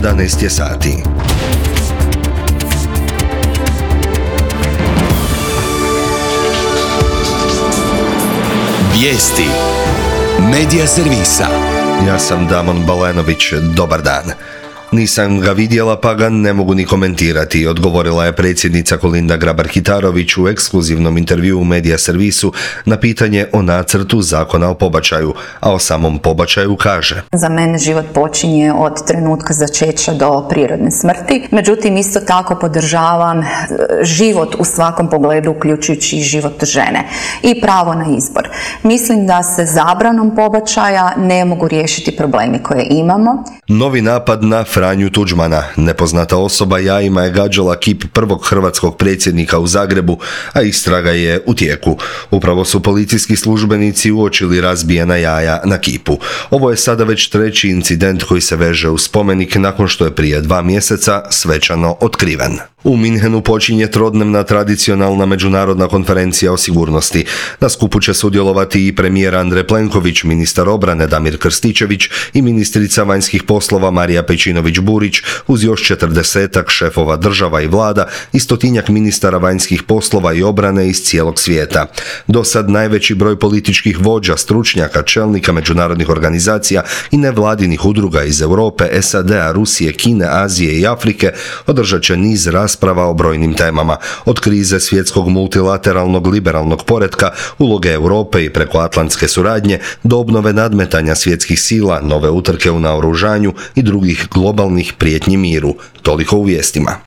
11 je sati. Vijesti Medija servisa. Ja sam Damon Balenović, dobar dan. Nisam ga vidjela pa ga ne mogu ni komentirati, odgovorila je predsjednica Kolinda Grabar-Kitarović u ekskluzivnom intervjuu u Medija servisu na pitanje o nacrtu zakona o pobačaju, a o samom pobačaju kaže: Za mene život počinje od trenutka začeća do prirodne smrti, međutim isto tako podržavam život u svakom pogledu, uključujući i život žene i pravo na izbor. Mislim da se zabranom pobačaja ne mogu riješiti problemi koje imamo. Novi napad na Franju Tuđmana. Nepoznata osoba jajima je gađala kip prvog hrvatskog predsjednika u Zagrebu, a istraga je u tijeku. Upravo su policijski službenici uočili razbijena jaja na kipu. Ovo je sada već treći incident koji se veže uz spomenik nakon što je prije 2 mjeseca svečano otkriven. U Minhenu počinje trodnevna tradicionalna međunarodna konferencija o sigurnosti. Na skupu će sudjelovati i premijer Andrej Plenković, ministar obrane Damir Krstičević i ministrica vanjskih poslova Marija Pejčinović-Burić, uz još 40-ak šefova država i vlada i 100-tinjak ministara vanjskih poslova i obrane iz cijelog svijeta. Do sad najveći broj političkih vođa, stručnjaka, čelnika međunarodnih organizacija i nevladinih udruga iz Europe, SAD-a, Rusije, Kine, Azije i Afrike održat će niz rasprava o brojnim temama, od krize svjetskog multilateralnog liberalnog poretka, uloge Europe i prekoatlantske suradnje, do obnove nadmetanja svjetskih sila, nove utrke u naoružanju i drugih globalnih prijetnji miru. Toliko u vijestima.